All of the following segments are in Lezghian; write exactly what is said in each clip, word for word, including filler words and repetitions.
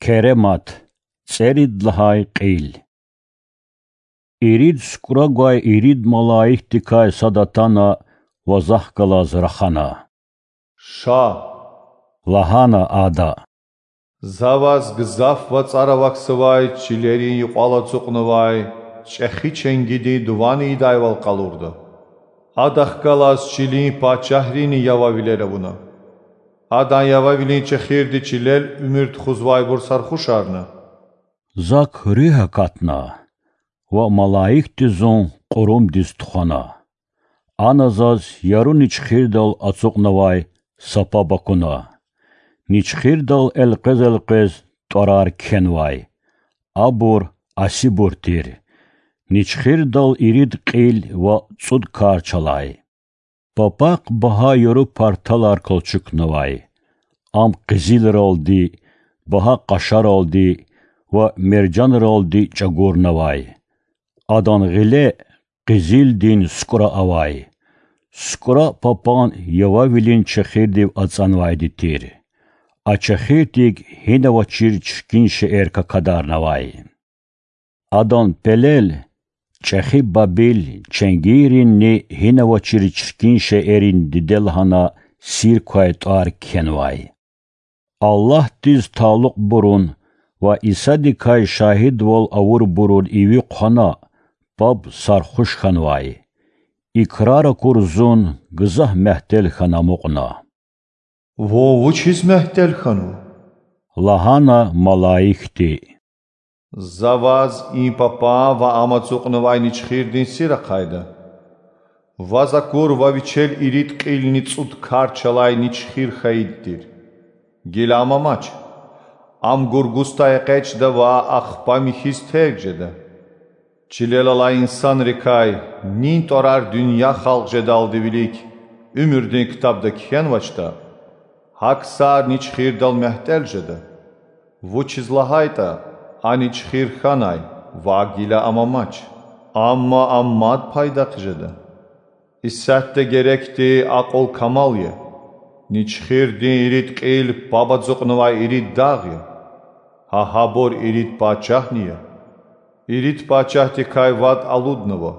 Керемат, цӀерид лагьай кьил. Ирид сукӀра гвай ирид малаикдикай сад атана ва захъ галаз рахана. Ша,— лагьана ада,— за ваз гзаф вацӀар авахьзавай чилерин юкьвал ацукьнавай чӀехи ченгидин дуван ийидайвал къалурда. Адахъ галаз чилин пачагьрини явавилер авуна. Адан явавилин чехирди чилел уьмуьр тухузвайбур сархушарна. Зак руьгь акатна ва малаикди зун кьурумдиз тухвана. Ана заз яру ничхирдал ацукьнавай са паб акуна. Ничхирдал элкъвез-элкъвез тӀварар кхьенвай. Абур асибур тир. Ничхирдал ирид кьил ва цӀуд карч алай. Папахъ багьа яру парталар калчукнавай. Ам къизилралди, багьа къашаралди ва мержанралди чӀагурнавай. Адан гъиле къизилдин сукӀра авай. СукӀра папан явавилин чехирдив ацӀанвайди тир. А чехирдик гьина авачир чиркин шейэр какадарнавай. Адан пелел чӀехи Бабил ченгийринни гьина авачир чиркин шейэрин диде лагьана сир квай тӀвар кхьенвай. Аллагьдиз талукьбурун ва Исадикай шагьидвал авурбурун иви хъвана, паб сархуш хьанвай. Икрар акур зун гзаф мягьтел хьана амукьна. Вун вучиз мягьтел хьанва? Лагьана малаикди. За ваз и папан ва ам ацукьнавай ничхирдин сир ахъайда. Ваз акурва вичел ирид кьилни цӀуд карч алай ничхир хьайиди тир. Гила ам амач. Ам гургустай экъечӀда ва ахпа михьиз терг жеда. Чилел алай инсанрикай нин тӀварар дуьнья халкь жедалди вилик уьмуьрдин ктабда кхьенвачтӀа, гьа ксар ничхирдал мягьтел жеда. Вучиз лагьайтӀа а ничхир хьанай ва гила ам амач. Амма ам мад пайдах жеда. Исятда герекди акьул-камал ая. Ничхирдин ирид кьил паб ацукьнавай ирид дагъ я. Гьа гьабур ирид пачагьни я. Ирид пачагьдикай вад алуднава.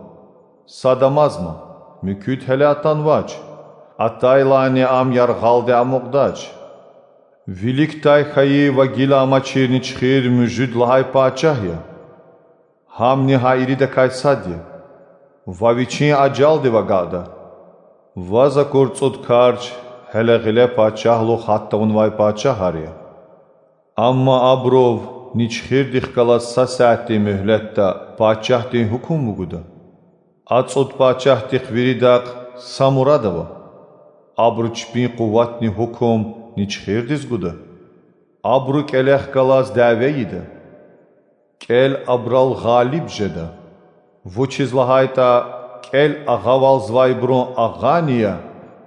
Сад амазма, муькуьд гьеле атанвач. Атайлани ам яргъалди амукьдач. Виликдай хьайи ва гила амачир ничхир муьжуьд лагьай пачагь я. Гьамни гьа иридакай сад я. Ва вичин ажалдив агакьда. Ваз акур цӀуд карч гьеле гъиле пачагьлугъ гьат тавунвай пачагьар я. Амма абурув ничхирдихъ галаз са сятдин муьгьлетда пачагьдин гьукум вугуда. А цӀуд пачагьдихъ виридахъ са мурад ава. Абуру чпин къуватни гьукум ничхирдиз гуда. Абуру кӀелехъ галаз дяве ийида. КӀел абурал гъалиб жеда, вучиз лагьайтӀа кӀел агъавалзавайбурун агъани я,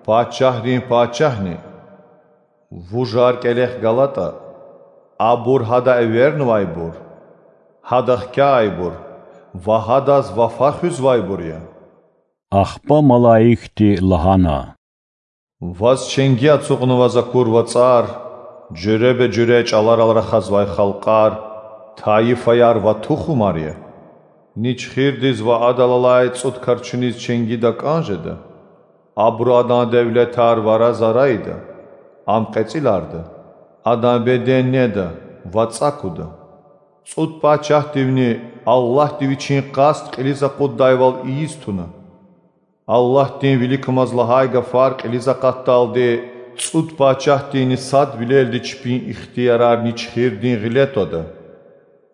пачагьрин пачагьни. Вужар кӀелехъ галатӀа, абур гьада эвернавайбур, гьада хкягъайбур ва гьадаз вафа хуьзвайбур я. Ахпа малаикди лагьана: Ваз ченги ацукьнава за акур вацӀар, жуьреба-жуьре чӀаларал рахазвай халкьар, тайифаяр ва тухумар я. Ничхирдиз ва адал алай цӀуд карчуниз ченги такӀан жеда. Абуру адан девлетар вара зарайда, ам кьецӀиларда, адан беден неда ва цӀакуда. ЦӀуд пачагьдивни Аллагьди вичин къаст кьилиз акъуддайвал ийиз туна. Аллагьдин виликамаз лагьай гафар кьилиз акъатдалди цӀуд пачагьдинни садвилелди чпин ихтиярар ничхирдин гъиле твада.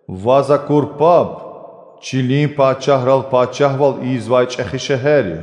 Ваз акур паб чилин пачагьрал пачагьвал ийизвай чӀехи шегьер я.